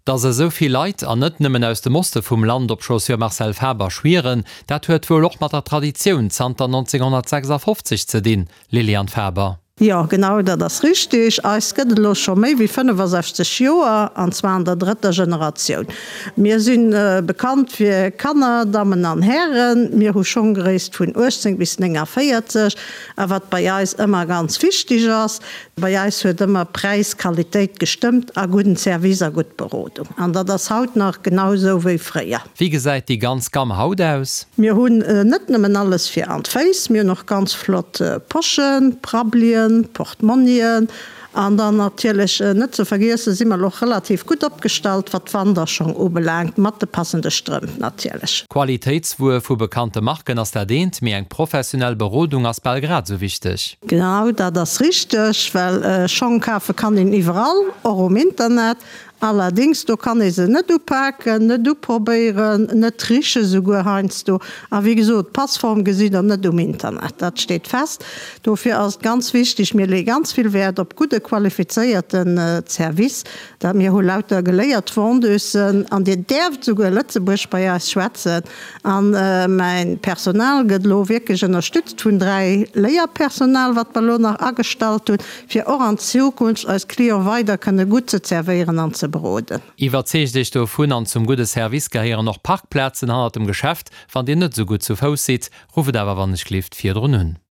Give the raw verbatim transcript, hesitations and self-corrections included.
Dass esou vill Leit, an net nëmmen aus dem Oste vum Land, op Chaussures Marcel Faber schwieren, dat huet wuel och mat der Traditioun zanter nonzénghonnertsechsafofzeg ze dinn, Liliane Faber. Jo, genau dat ass richtig. Eis gëtt et elo scho méi wéi fënnefasechzeg Joer, an zwar an der drëtter Generatioun. Mir si bekannt fir Kanner, Dammen an Hären. Mir hu Schonggréisst vun uechtzéng bis néngavéierzeg. A wat bei eis ëmmer ganz wichtig ass, bei eis huet ëmmer Präis, Qualitéit gestëmmt a gudden Service a gutt Berodung. An dat ass haut nach genau esou wéi fréier. Wéi gesäit déi ganz Gamm haut aus? Mir hunn net nëmmen alles fir an d'Féiss, mir hunn och ganz flott Poschen, Prabbelien, Portmonnien an dann natierlech net ze vergiessen si mer och relativ gutt opgestallt wat d'Wanderschong ubelaangt, mat de passende Strëmp natierlech. Qualitéitswuer vu bekannte Marken ass dat eent, mee eng professionell Berodung ass bal grad esou wichteg. Genau dat ass richteg, well Schong kafe kann een iwwerall, och um Internet. Allerdings, do kann ee se net upaken, net uprobéieren, net richen esouguer heiansdo. A wéi gesot, d'Passform gesitt Der net um Internet, dat steet fest. Dofir ass et ganz wichteg, mir leeë ganz vill Wäert op gudde qualifizéierten Service, dat mir hu lauter geléiert Vendeusen an Dir däerft esouguer Lëtzebuergesch bei eis schwätzen. A mäin Personal gëtt elo wierklech ënnerstützt vun dräi Léierpersonal, wat mer elo nach agestallt hunn, fir och an Zukunft eis Clients weider kënne gutt ze zerwéieren an ze beroden. Iwwerzeegt Iech dovun an zum gudde Service gehéieren och Parkplazen hannert dem Geschäft. Wann Dir net esou gutt zu Fouss sidd, rufft awer wannechgelift virdrun un.